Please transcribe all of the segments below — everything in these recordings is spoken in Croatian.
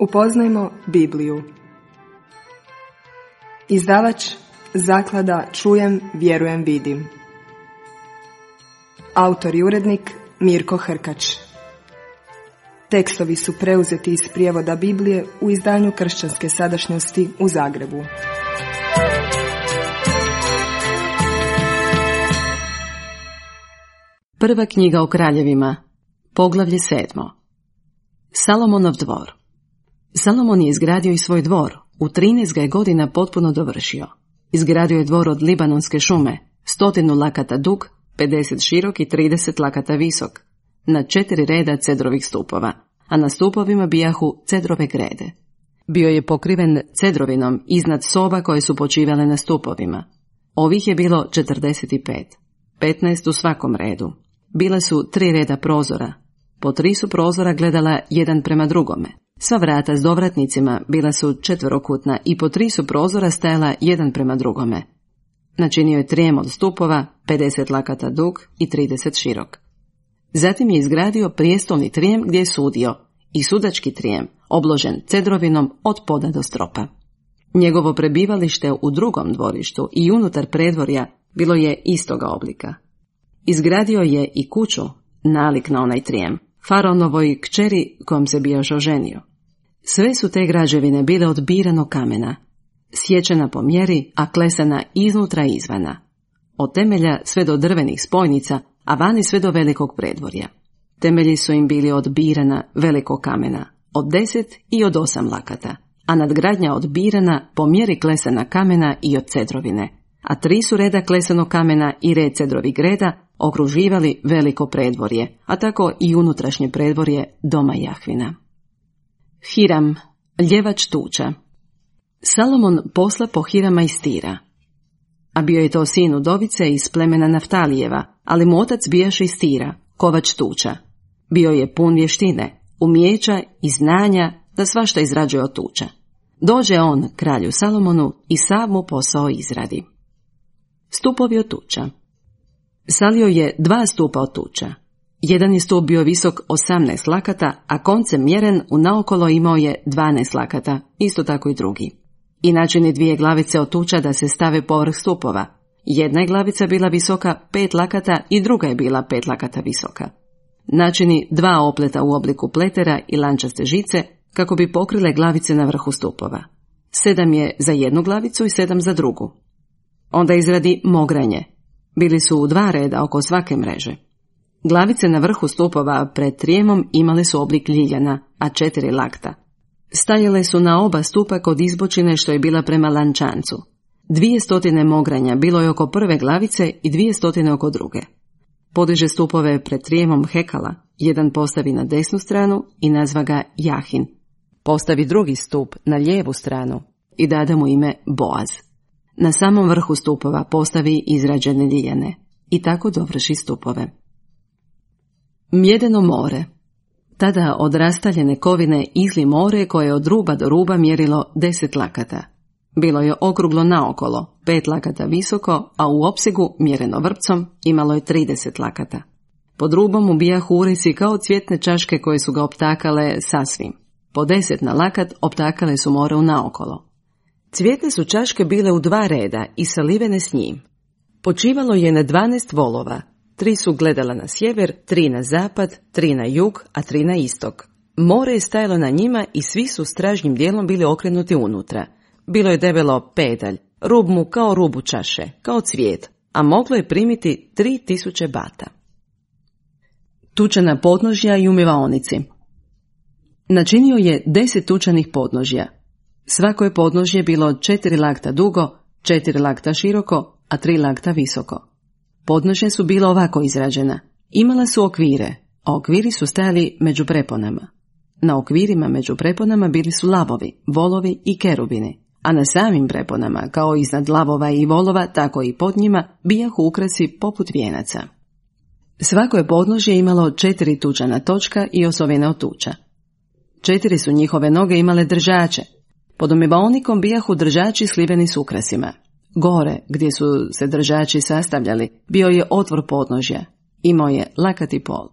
Upoznajmo Bibliju. Izdavač Zaklada Čujem, vjerujem, vidim. Autor i urednik Mirko Hrkač. Tekstovi su preuzeti iz prijevoda Biblije u izdanju Kršćanske sadašnjosti u Zagrebu. Prva knjiga o kraljevima, poglavlje 7. Salomonov dvor. Salomon je izgradio i svoj dvor, u 13 ga je godina potpuno dovršio. Izgradio je dvor od libanonske šume, 100 lakata dug, 50 širok i 30 lakata visok, na 4 reda cedrovih stupova, a na stupovima bijahu cedrove grede. Bio je pokriven cedrovinom iznad soba koje su počivale na stupovima. Ovih je bilo 45, 15 u svakom redu. Bile su 3 reda prozora. Po 3 su prozora gledala jedan prema drugome. Sva vrata s dovratnicima bila su četverokutna i po 3 su prozora stajala jedan prema drugome. Načinio je trijem od stupova, 50 lakata dug i 30 širok. Zatim je izgradio prijestolni trijem gdje je sudio i sudački trijem, obložen cedrovinom od poda do stropa. Njegovo prebivalište u drugom dvorištu i unutar predvorja bilo je istoga oblika. Izgradio je i kuću, nalik na onaj trijem, faraonovoj kćeri kojom se bio još oženio. Sve su te građevine bile od biranog kamena, sječena po mjeri, a klesana iznutra i izvana. Od temelja sve do drvenih spojnica, a vani sve do velikog predvorja. Temelji su im bili od birana velikog kamena, od 10 i od 8 lakata, a nadgradnja od birana po mjeri klesana kamena i od cedrovine, a 3 su reda klesanog kamena i red cedrovih greda okruživali veliko predvorje, a tako i unutrašnje predvorje doma Jahvina. Hiram, ljevač tuča. Salomon posla po Hirama iz Tira. A bio je to sin udovice iz plemena Naftalijeva, ali mu otac bijaše iz Tira, kovač tuča. Bio je pun vještine, umijeća i znanja da svašta izrađuje od tuča. Dođe on kralju Salomonu i sav mu posao izradi. Stupovi od tuča. Salio je 2 stupa od tuča. Jedan je stup bio visok 18 lakata, a koncem mjeren unaokolo imao je 12 lakata, isto tako i drugi. I načini 2 glavice od tuča da se stave povrh stupova. Jedna je glavica bila visoka 5 lakata i druga je bila 5 lakata visoka. Načini 2 opleta u obliku pletera i lančaste žice kako bi pokrile glavice na vrhu stupova. 7 je za jednu glavicu i 7 za drugu. Onda izradi mogranje. Bili su u 2 reda oko svake mreže. Glavice na vrhu stupova pred trijemom imale su oblik ljiljana, a 4 lakta. Stajale su na oba stupa kod izbočine što je bila prema lančancu. 200 mogranja bilo je oko prve glavice i 200 oko druge. Podiže stupove pred trijemom hekala, jedan postavi na desnu stranu i nazva ga Jahin. Postavi drugi stup na lijevu stranu i dade mu ime Boaz. Na samom vrhu stupova postavi izrađene ljiljane i tako dovrši stupove. Mjedeno more. Tada od rastaljene kovine izli more koje je od ruba do ruba mjerilo 10 lakata. Bilo je okruglo naokolo, 5 lakata visoko, a u opsegu, mjereno vrpcom, imalo je 30 lakata. Pod rubom ubijahu urisi kao cvjetne čaške koje su ga optakale sasvim. Po 10 na lakat optakale su more u naokolo. Cvjetne su čaške bile u 2 reda i salivene s njim. Počivalo je na 12 volova. 3 su gledala na sjever, 3 na zapad, 3 na jug, a 3 na istok. More je stajalo na njima i svi su stražnjim dijelom bili okrenuti unutra. Bilo je debelo pedalj, rub mu kao rubu čaše, kao cvijet, a moglo je primiti 3000 bata. Tučana podnožja i umivaonici. Načinio je 10 tučanih podnožja. Svako je podnožje bilo 4 lakta dugo, 4 lakta široko, a 3 lakta visoko. Podnožja su bila ovako izrađena. Imala su okvire, a okviri su stajali među preponama. Na okvirima među preponama bili su lavovi, volovi i kerubini, a na samim preponama, kao iznad lavova i volova, tako i pod njima, bijahu ukrasi poput vijenaca. Svako je podnožje imalo 4 tučana točka i osovine od tuča. 4 su njihove noge imale držače. Pod umivaonikom bijahu držači sliveni s ukrasima. Gore, gdje su se držači sastavljali, bio je otvor podnožja. Imao je lakat i pol.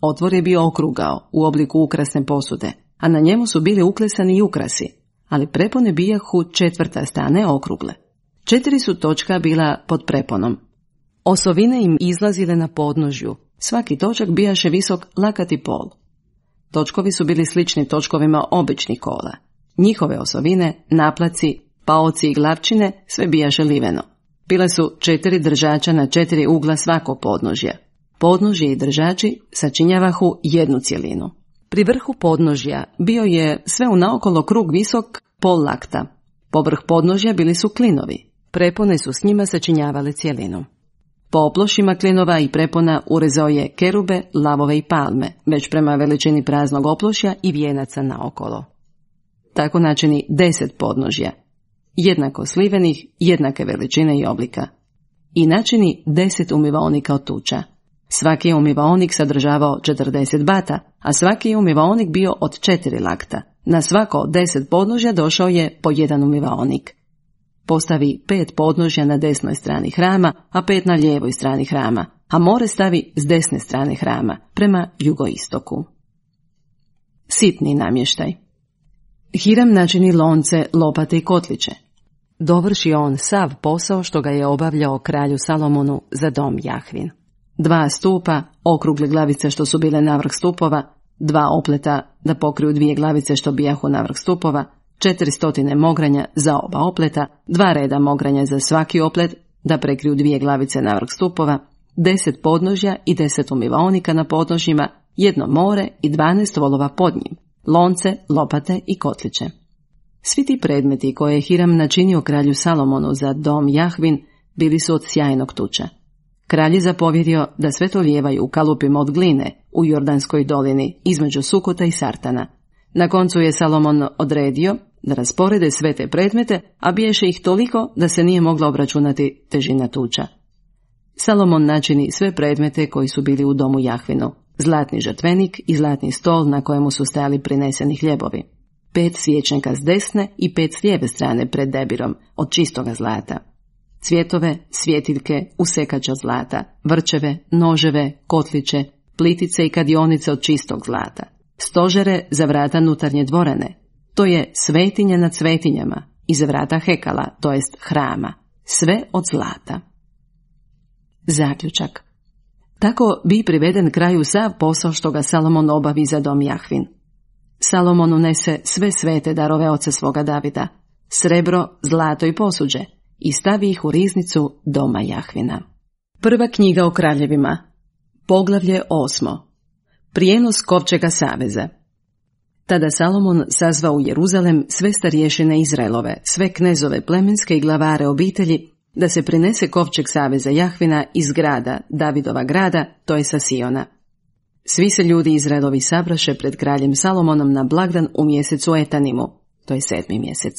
Otvor je bio okrugao, u obliku ukrasne posude. a na njemu su bili uklesani i ukrasi, ali prepone bijahu četvrtaste, a ne okrugle. 4 su točka bila pod preponom. Osovine im izlazile na podnožju, svaki točak bijaše visok lakati pol. Točkovi su bili slični točkovima običnih kola. Njihove osovine, naplaci, paoci i glavčine sve bijaše liveno. Bile su 4 držača na 4 ugla svakog podnožja. Podnožje i držači sačinjavahu jednu cjelinu. Pri vrhu podnožja bio je sve unaokolo krug visok pol lakta. Povrh podnožja bili su klinovi. Prepone su s njima sačinjavale cjelinu. Po oplošima klinova i prepona urezao je kerube, lavove i palme, već prema veličini praznog oplošja i vijenaca naokolo. Tako načini 10 podnožja, jednako slivenih, jednake veličine i oblika. I načini 10 umivaonika od tuča. Svaki je umivaonik sadržavao 40 bata, a svaki je umivaonik bio od 4 lakta. Na svako od 10 podnožja došao je po jedan umivaonik. Postavi 5 podnožja na desnoj strani hrama, a 5 na lijevoj strani hrama, a more stavi s desne strane hrama, prema jugoistoku. Sitni namještaj. Hiram načini lonce, lopate i kotliće. Dovrši on sav posao što ga je obavljao kralju Salomonu za dom Jahvin. 2 stupa, okrugle glavice što su bile navrh stupova, 2 opleta da pokriju 2 glavice što bijahu navrh stupova, 400 mogranja za oba opleta, 2 reda mogranja za svaki oplet da prekriju 2 glavice navrh stupova, 10 podnožja i 10 umivaonika na podnožjima, 1 more i 12 volova pod njim, lonce, lopate i kotliće. Svi ti predmeti koje je Hiram načinio kralju Salomonu za dom Jahvin bili su od sjajnog tuča. Kralj je zapovjedio da sve to lijevaju u kalupima od gline u Jordanskoj dolini između Sukota i Sartana. Na koncu je Salomon odredio da rasporede sve te predmete, a biješe ih toliko da se nije mogla obračunati težina tuča. Salomon načini sve predmete koji su bili u domu Jahvinu, zlatni žrtvenik i zlatni stol na kojemu su stajali prineseni hljebovi, 5 svječnika s desne i 5 s lijeve strane pred debirom od čistoga zlata, cvjetove, svjetiljke, usekača zlata, vrčeve, noževe, kotliće, plitice i kadionice od čistog zlata, stožere za vrata nutarnje dvorane, to je svetinja nad svetinjama, i za vrata hekala, to jest hrama, sve od zlata. Zaključak. Tako bi priveden kraju sav posao što ga Salomon obavi za dom Jahvin. Salomon unese sve svete darove oca svoga Davida, srebro, zlato i posuđe, i stavi ih u riznicu doma Jahvina. Prva knjiga o kraljevima. Poglavlje 8. Prijenos kovčega saveza. Tada Salomon sazvao u Jeruzalem sve starješine Izraelove, sve knezove plemenske i glavare obitelji, da se prinese kovčeg saveza Jahvina iz grada, Davidova grada, to je sa Siona. Svi se ljudi Izraelovi sabraše pred kraljem Salomonom na blagdan u mjesecu Etanimu, to je 7. mjesec.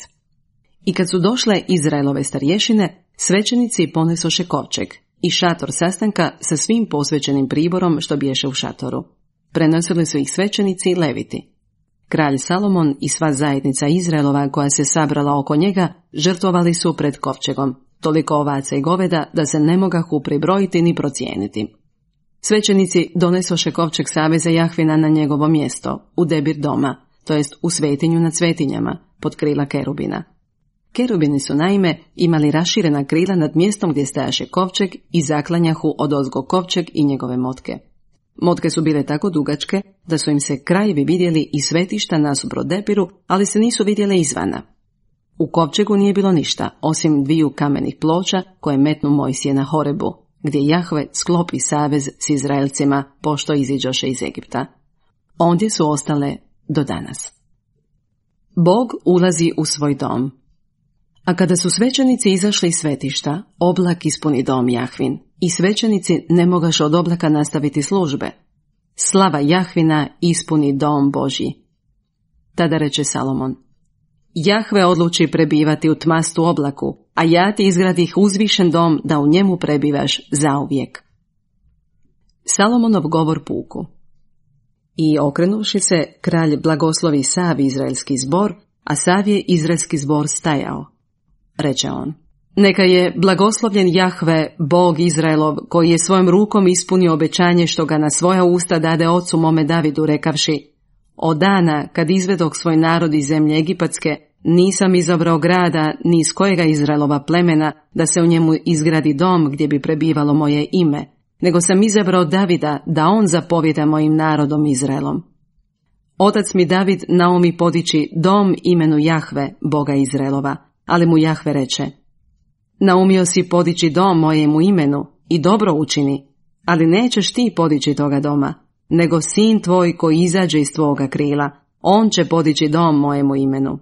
I kad su došle Izraelove starješine, svećenici ponesoše kovčeg i šator sastanka sa svim posvećenim priborom što biješe u šatoru. Prenosili su ih svećenici i leviti. Kralj Salomon i sva zajednica Izraelova koja se sabrala oko njega žrtvovali su pred kovčegom, toliko ovaca i goveda da se ne mogahu pribrojiti ni procijeniti. Svećenici donesoše kovčeg saveza Jahvina na njegovo mjesto, u debir doma, to jest u svetinju nad svetinjama, pod krila kerubina. Kerubini su naime imali raširena krila nad mjestom gdje stajaše kovčeg i zaklanjahu odozgo kovčeg i njegove motke. Motke su bile tako dugačke da su im se krajevi vidjeli iz svetišta nasuprot debiru, ali se nisu vidjele izvana. U kovčegu nije bilo ništa, osim 2 kamenih ploča koje metnu Mojsije na Horebu, gdje Jahve sklopi savez s Izraelcima pošto iziđoše iz Egipta. Ondje su ostale do danas. Bog ulazi u svoj dom. A kada su svećenici izašli iz svetišta, oblak ispuni dom Jahvin i svećenici ne mogaše od oblaka nastaviti službe. Slava Jahvina ispuni dom Božji. Tada reče Salomon: Jahve odluči prebivati u tmastu oblaku, a ja ti izgradih uzvišen dom da u njemu prebivaš zauvijek. Salomonov govor puku. I okrenuvši se, kralj blagoslovi sav izraelski zbor, a sav je izraelski zbor stajao. Reče on: Neka je blagoslovljen Jahve, Bog Izraelov, koji je svojom rukom ispunio obećanje što ga na svoja usta dade ocu mome Davidu, rekavši: od dana kad izvedog svoj narod iz zemlje Egipatske, nisam izabrao grada ni iz kojega Izraelova plemena da se u njemu izgradi dom gdje bi prebivalo moje ime, nego sam izabrao Davida da on zapovjeda mojim narodom Izraelom. Otac mi David naumi podići dom imenu Jahve, Boga Izraelova, ali mu Jahve reče: naumio si podići dom mojemu imenu i dobro učini, ali nećeš ti podići toga doma, nego sin tvoj koji izađe iz tvoga krila, on će podići dom mojemu imenu.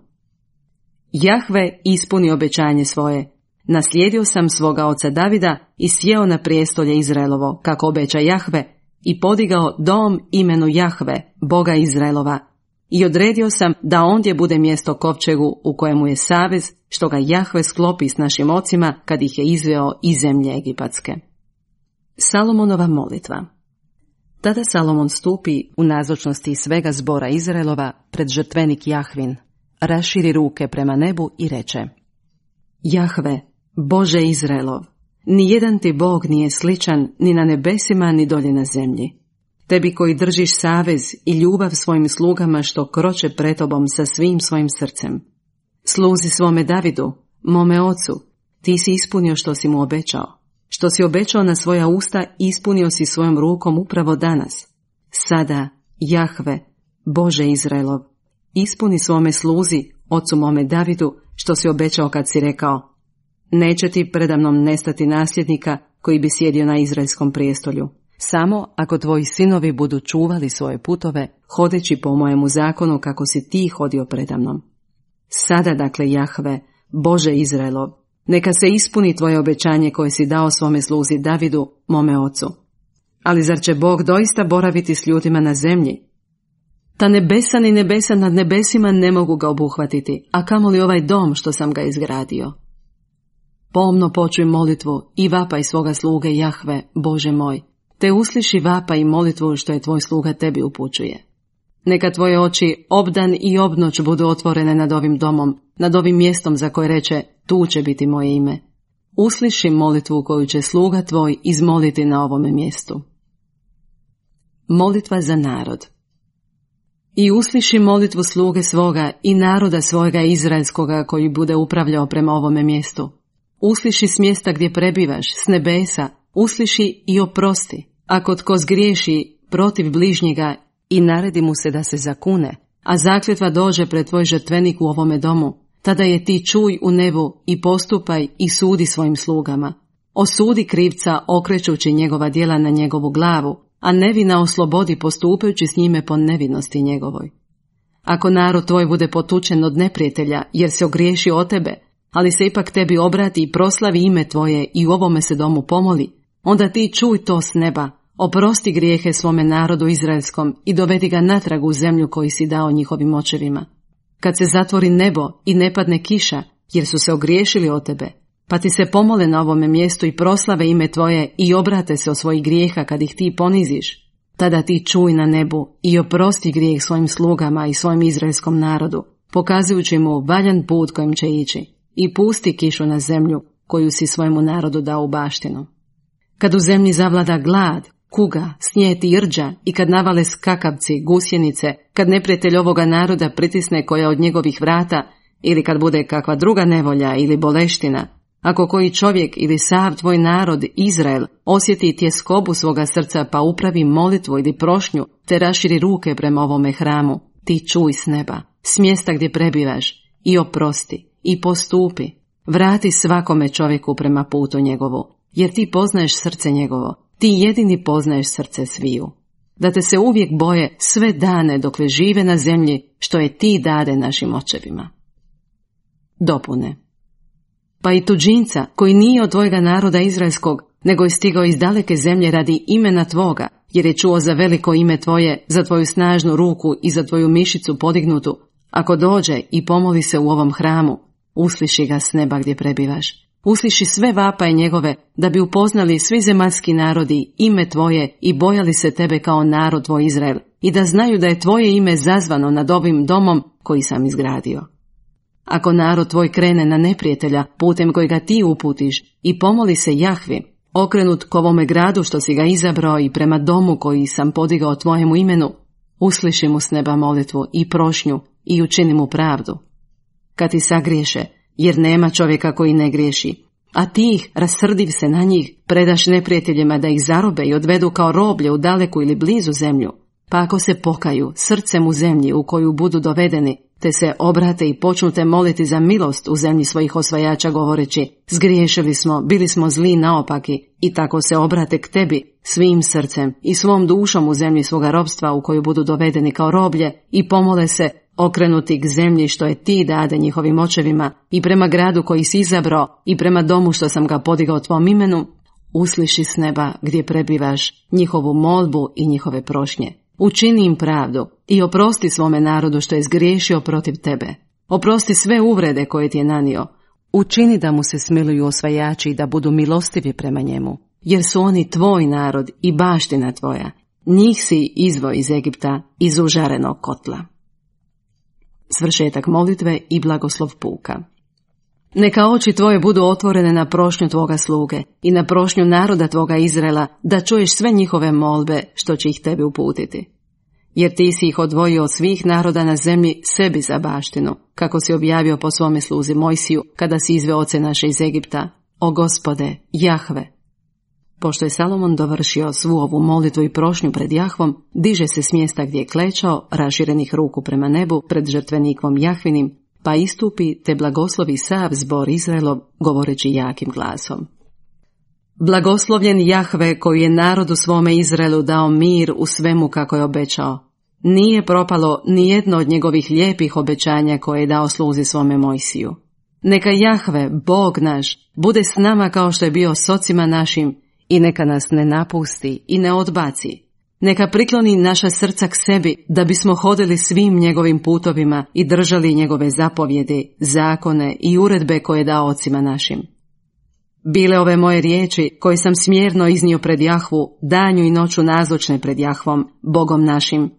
Jahve ispuni obećanje svoje. Naslijedio sam svoga oca Davida i sjeo na prijestolje Izraelovo, kako obeća Jahve, i podigao dom imenu Jahve, Boga Izraelova, i odredio sam da ondje bude mjesto kovčegu u kojemu je savez što ga Jahve sklopi s našim ocima kad ih je izveo iz zemlje Egipatske. Salomonova molitva. Tada Salomon stupi u nazočnosti svega zbora Izraelova pred žrtvenik Jahvin, raširi ruke prema nebu i reče: Jahve, Bože Izraelov, nijedan ti Bog nije sličan ni na nebesima ni dolje na zemlji. Tebi koji držiš savez i ljubav svojim slugama što kroče pred tobom sa svim svojim srcem. Sluzi svome Davidu, mome ocu, ti si ispunio što si mu obećao. Što si obećao na svoja usta, ispunio si svojom rukom upravo danas. Sada, Jahve, Bože Izraelov, ispuni svome sluzi, ocu mome Davidu, što si obećao kad si rekao: neće ti predamnom nestati nasljednika koji bi sjedio na izraelskom prijestolju, samo ako tvoji sinovi budu čuvali svoje putove, hodeći po mojemu zakonu kako si ti hodio predamnom. Sada dakle, Jahve, Bože Izraelov, neka se ispuni tvoje obećanje koje si dao svome sluzi Davidu, mome ocu. Ali zar će Bog doista boraviti s ljudima na zemlji? Ta nebesa ni nebesa nad nebesima ne mogu ga obuhvatiti, a kamoli ovaj dom što sam ga izgradio. Pomno počuj molitvu i vapaj svoga sluge Jahve, Bože moj, te usliši vapaj i molitvu što je tvoj sluga tebi upućuje. Neka tvoje oči obdan i obnoć budu otvorene nad ovim domom, nad ovim mjestom za koje reče: tu će biti moje ime. Usliši molitvu koju će sluga tvoj izmoliti na ovome mjestu. Molitva za narod. I usliši molitvu sluge svoga i naroda svojega izraelskoga koji bude upravljao prema ovome mjestu. Usliši s mjesta gdje prebivaš, s nebesa, usliši i oprosti. Ako tko zgriješi protiv bližnjega i naredi mu se da se zakune, a zakletva dođe pred tvoj žrtvenik u ovome domu, tada je ti čuj u nebu i postupaj i sudi svojim slugama. Osudi krivca okrećući njegova djela na njegovu glavu, a nevina oslobodi postupajući s njime po nevinosti njegovoj. Ako narod tvoj bude potučen od neprijatelja jer se ogriješi o tebe, ali se ipak tebi obrati i proslavi ime tvoje i u ovome se domu pomoli, onda ti čuj to s neba, oprosti grijehe svome narodu izraelskom i dovedi ga natrag u zemlju koju si dao njihovim očevima. Kad se zatvori nebo i ne padne kiša, jer su se ogriješili o tebe, pa ti se pomole na ovome mjestu i proslave ime tvoje i obrate se od svojih grijeha kad ih ti poniziš, tada ti čuj na nebu i oprosti grijeh svojim slugama i svojim izraelskom narodu, pokazujući mu valjan put kojim će ići, i pusti kišu na zemlju koju si svojemu narodu dao u baštinu. Kad u zemlji zavlada glad, kuga, snijeti i rđa i kad navale skakavci, gusjenice, kad neprijatelj ovoga naroda pritisne koja od njegovih vrata, ili kad bude kakva druga nevolja ili boleština, ako koji čovjek ili sav tvoj narod, Izrael, osjeti tjeskobu svoga srca pa upravi molitvu ili prošnju, te raširi ruke prema ovome hramu, ti čuj s neba, s mjesta gdje prebivaš, i oprosti, i postupi, vrati svakome čovjeku prema putu njegovu, jer ti poznaješ srce njegovo, ti jedini poznaješ srce sviju. Da te se uvijek boje sve dane dokle žive na zemlji, što je ti dade našim očevima. Dopune. Pa i tuđinca, koji nije od tvojega naroda izraelskog, nego je stigao iz daleke zemlje radi imena tvoga, jer je čuo za veliko ime tvoje, za tvoju snažnu ruku i za tvoju mišicu podignutu, ako dođe i pomoli se u ovom hramu, usliši ga s neba gdje prebivaš. Usliši sve vapaje njegove, da bi upoznali svi zemaljski narodi ime tvoje i bojali se tebe kao narod tvoj Izrael, i da znaju da je tvoje ime zazvano nad ovim domom koji sam izgradio. Ako narod tvoj krene na neprijatelja putem koji ga ti uputiš i pomoli se Jahvi, okrenut k ovome gradu što si ga izabrao i prema domu koji sam podigao tvojemu imenu, Usliši mu s neba molitvu i prošnju i učini mu pravdu. Kad ti sagriješe, jer nema čovjeka koji ne griješi, a ti ih, rasrdiv se na njih, predaš neprijateljima da ih zarobe i odvedu kao roblje u daleku ili blizu zemlju, pa ako se pokaju srcem u zemlji u koju budu dovedeni, te se obrate i počnu te moliti za milost u zemlji svojih osvajača govoreći, zgriješili smo, bili smo zli naopaki, i tako se obrate k tebi svim srcem i svom dušom u zemlji svoga robstva u koju budu dovedeni kao roblje i pomole se, okrenuti k zemlji što je ti dade njihovim očevima i prema gradu koji si izabrao i prema domu što sam ga podigao tvom imenu, usliši s neba gdje prebivaš njihovu molbu i njihove prošnje. Učini im pravdu i oprosti svome narodu što je zgriješio protiv tebe. Oprosti sve uvrede koje ti je nanio. Učini da mu se smiluju osvajači i da budu milostivi prema njemu, jer su oni tvoj narod i baština tvoja. Njih si izveo iz Egipta, iz užarenog kotla. Svršetak molitve i blagoslov puka. Neka oči tvoje budu otvorene na prošnju tvoga sluge i na prošnju naroda tvoga Izraela, da čuješ sve njihove molbe što će ih tebi uputiti. Jer ti si ih odvojio od svih naroda na zemlji sebi za baštinu, kako si objavio po svome sluzi Mojsiju, kada si izveo oce naše iz Egipta. O Gospode, Jahve! Pošto je Salomon dovršio svu ovu molitvu i prošnju pred Jahvom, diže se s mjesta gdje je klečao, raširenih ruku prema nebu, pred žrtvenikom Jahvinim, pa istupi te blagoslovi sav zbor Izraelov, govoreći jakim glasom. Blagoslovljen Jahve koji je narodu svome Izraelu dao mir u svemu kako je obećao. Nije propalo ni jedno od njegovih lijepih obećanja koje je dao sluzi svome Mojsiju. Neka Jahve, Bog naš, bude s nama kao što je bio s ocima našim i neka nas ne napusti i ne odbaci. Neka prikloni naša srca k sebi, da bismo hodili svim njegovim putovima i držali njegove zapovjedi, zakone i uredbe koje je dao ocima našim. Bile ove moje riječi, koje sam smjerno iznio pred Jahvu, danju i noću nazočne pred Jahvom, Bogom našim,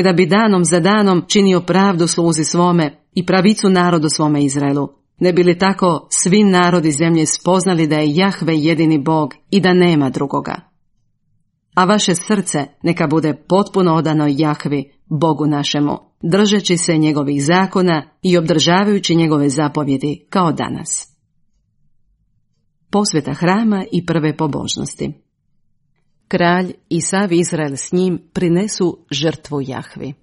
da bi danom za danom činio pravdu sluzi svome i pravicu narodu svome Izraelu. Ne bi li tako svi narodi zemlje spoznali da je Jahve jedini Bog i da nema drugoga. A vaše srce neka bude potpuno odano Jahvi, Bogu našemu, držeći se njegovih zakona i obdržavajući njegove zapovjedi kao danas. Posveta hrama i prve pobožnosti. Kralj i sav Izrael s njim prinesu žrtvu Jahvi.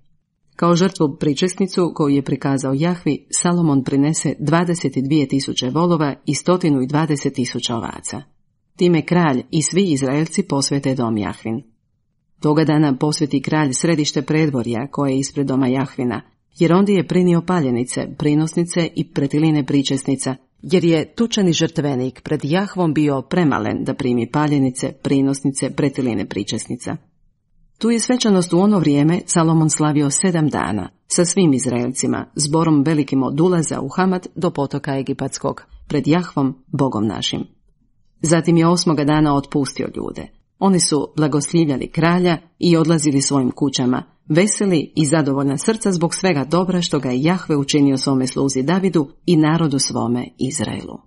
Kao žrtvu pričesnicu koju je prikazao Jahvi, Salomon prinese 22.000 volova i 120.000 ovaca. Time kralj i svi Izraelci posvete dom Jahvin. Toga dana posveti kralj središte predvorja koje je ispred doma Jahvina, jer ondje je prinio paljenice, prinosnice i pretiline pričesnica, jer je tučani žrtvenik pred Jahvom bio premalen da primi paljenice, prinosnice, pretiline pričesnica. Tu je svečanost u ono vrijeme Salomon slavio 7 dana sa svim Izraelcima, zborom velikim od ulaza u Hamat do potoka Egipatskog, pred Jahvom, Bogom našim. Zatim je 8. dana otpustio ljude. Oni su blagoslivljali kralja i odlazili svojim kućama, veseli i zadovoljna srca zbog svega dobra što ga je Jahve učinio svome sluzi Davidu i narodu svome Izraelu.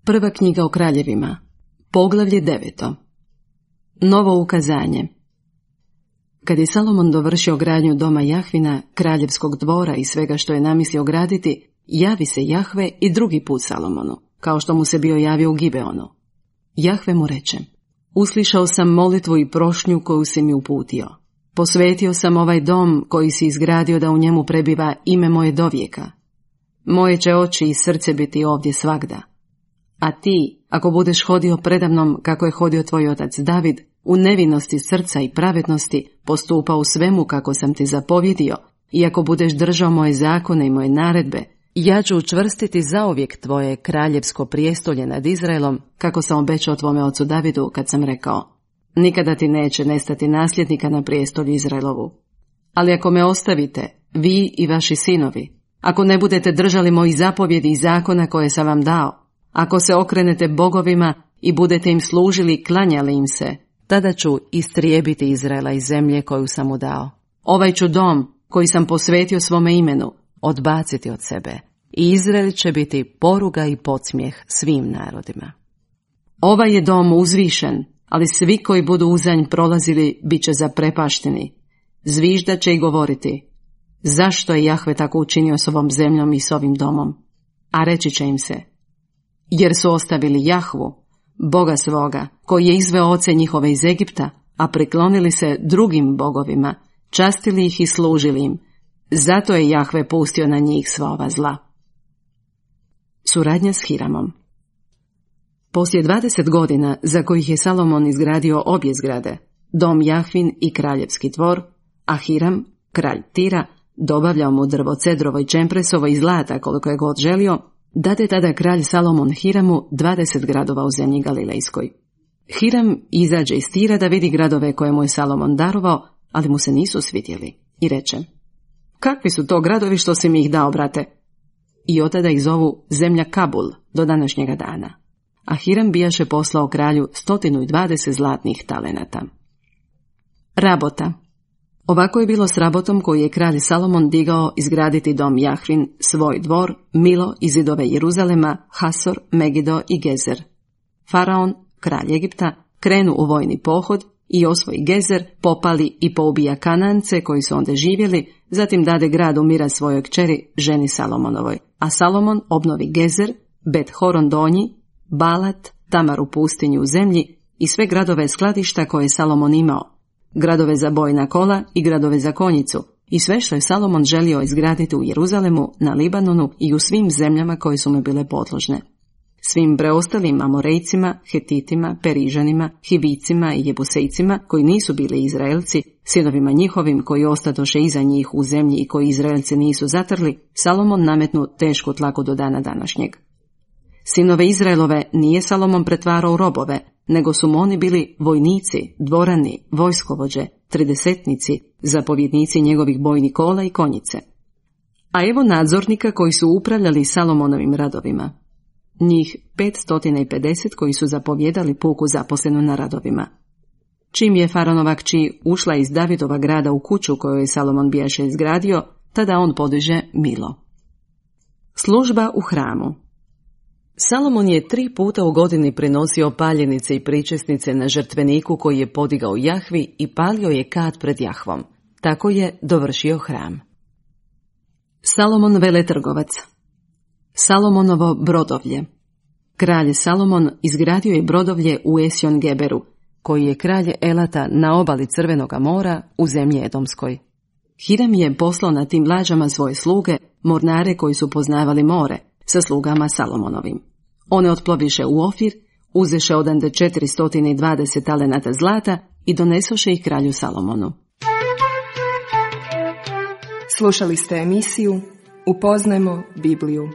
Prva knjiga o kraljevima, poglavlje 9. Novo ukazanje. Kad je Salomon dovršio gradnju doma Jahvina, kraljevskog dvora i svega što je namislio graditi, javi se Jahve i drugi put Salomonu, kao što mu se bio javio u Gibeonu. Jahve mu reče: uslišao sam molitvu i prošnju koju si mi uputio. Posvetio sam ovaj dom koji si izgradio da u njemu prebiva ime moje dovijeka. Moje će oči i srce biti ovdje svagda. A ti, ako budeš hodio predamnom kako je hodio tvoj otac David, u nevinosti srca i pravednosti, postupa u svemu kako sam ti zapovjedio, i ako budeš držao moje zakone i moje naredbe, ja ću učvrstiti zauvijek tvoje kraljevsko prijestolje nad Izraelom, kako sam obećao tvome ocu Davidu kad sam rekao: nikada ti neće nestati nasljednika na prijestolju Izraelovu. Ali ako me ostavite, vi i vaši sinovi, ako ne budete držali mojih zapovjedi i zakona koje sam vam dao, ako se okrenete bogovima i budete im služili i klanjali im se, tada ću istrijebiti Izraela iz zemlje koju sam mu dao. Ovaj ću dom, koji sam posvetio svome imenu, odbaciti od sebe, i Izrael će biti poruga i podsmijeh svim narodima. Ovaj je dom uzvišen, ali svi koji budu uzanj prolazili bit će zaprepašteni. zviždat će i govoriti: zašto je Jahve tako učinio s ovom zemljom i s ovim domom? A reći će im se: jer su ostavili Jahvu, Boga svoga, koji je izveo oce njihove iz Egipta, a priklonili se drugim bogovima, častili ih i služili im. Zato je Jahve pustio na njih sva ova zla. Suradnja s Hiramom. Poslije 20 godina, za kojih je Salomon izgradio obje zgrade, dom Jahvin i kraljevski dvor, a Hiram, kralj Tira, dobavljao mu drvo cedrovo i čempresovo i zlata koliko je god želio, dade tada kralj Salomon Hiramu 20 gradova u zemlji Galilejskoj. Hiram izađe iz Tira da vidi gradove koje mu je Salomon darovao, ali mu se nisu svidjeli, i reče: kakvi su to gradovi što si mi ih dao, brate? I od tada ih zovu zemlja Kabul do današnjega dana. A Hiram bijaše poslao kralju 120 zlatnih talenata. Rabota. Ovako je bilo s Rabotom koji je kralj Salomon digao izgraditi dom Jahvin, svoj dvor, Milo i zidove Jeruzalema, Hasor, Megido i Gezer. Faraon, kralj Egipta, krenu u vojni pohod i osvoji Gezer, popali i poubija Kanance koji su onda živjeli, zatim dade grad umira svojoj kćeri, ženi Salomonovoj, a Salomon obnovi Gezer, Bet Horon donji, Balat, Tamar u pustinju u zemlji i sve gradove skladišta koje je Salomon imao, gradove za bojna kola i gradove za konjicu, i sve što je Salomon želio izgraditi u Jeruzalemu, na Libanonu i u svim zemljama koje su mu bile podložne. Svim preostalim Amorejcima, Hetitima, Perižanima, Hivicima i Jebusejcima, koji nisu bili Izraelci, sinovima njihovim koji ostadoše iza njih u zemlji i koji Izraelci nisu zatrli, Salomon nametnu tešku tlaku do dana današnjeg. Sinove Izraelove nije Salomon pretvarao u robove, nego su mu oni bili vojnici, dvorani, vojskovođe, tridesetnici, zapovjednici njegovih bojnih kola i konjice. A evo nadzornika koji su upravljali Salomonovim radovima. Njih 550 koji su zapovjedali puku zaposlenu na radovima. Čim je Faraonova kći ušla iz Davidova grada u kuću koju je Salomon bijaše izgradio, tada on podiže Milo. Služba u hramu. Salomon je 3 puta u godini prinosio paljenice i pričesnice na žrtveniku koji je podigao Jahvi i palio je kat pred Jahvom. Tako je dovršio hram. Salomon veletrgovac. Salomonovo brodovlje. Kralj Salomon izgradio je brodovlje u Esjon Geberu, koji je kralj Elata na obali Crvenoga mora u zemlji Edomskoj. Hiram je poslao na tim lađama svoje sluge, mornare koji su poznavali more, sa slugama Salomonovim. One otploviše u Ofir, uzeše odande 420 talenata zlata i donesoše ih kralju Salomonu. Slušali ste emisiju Upoznajmo Bibliju.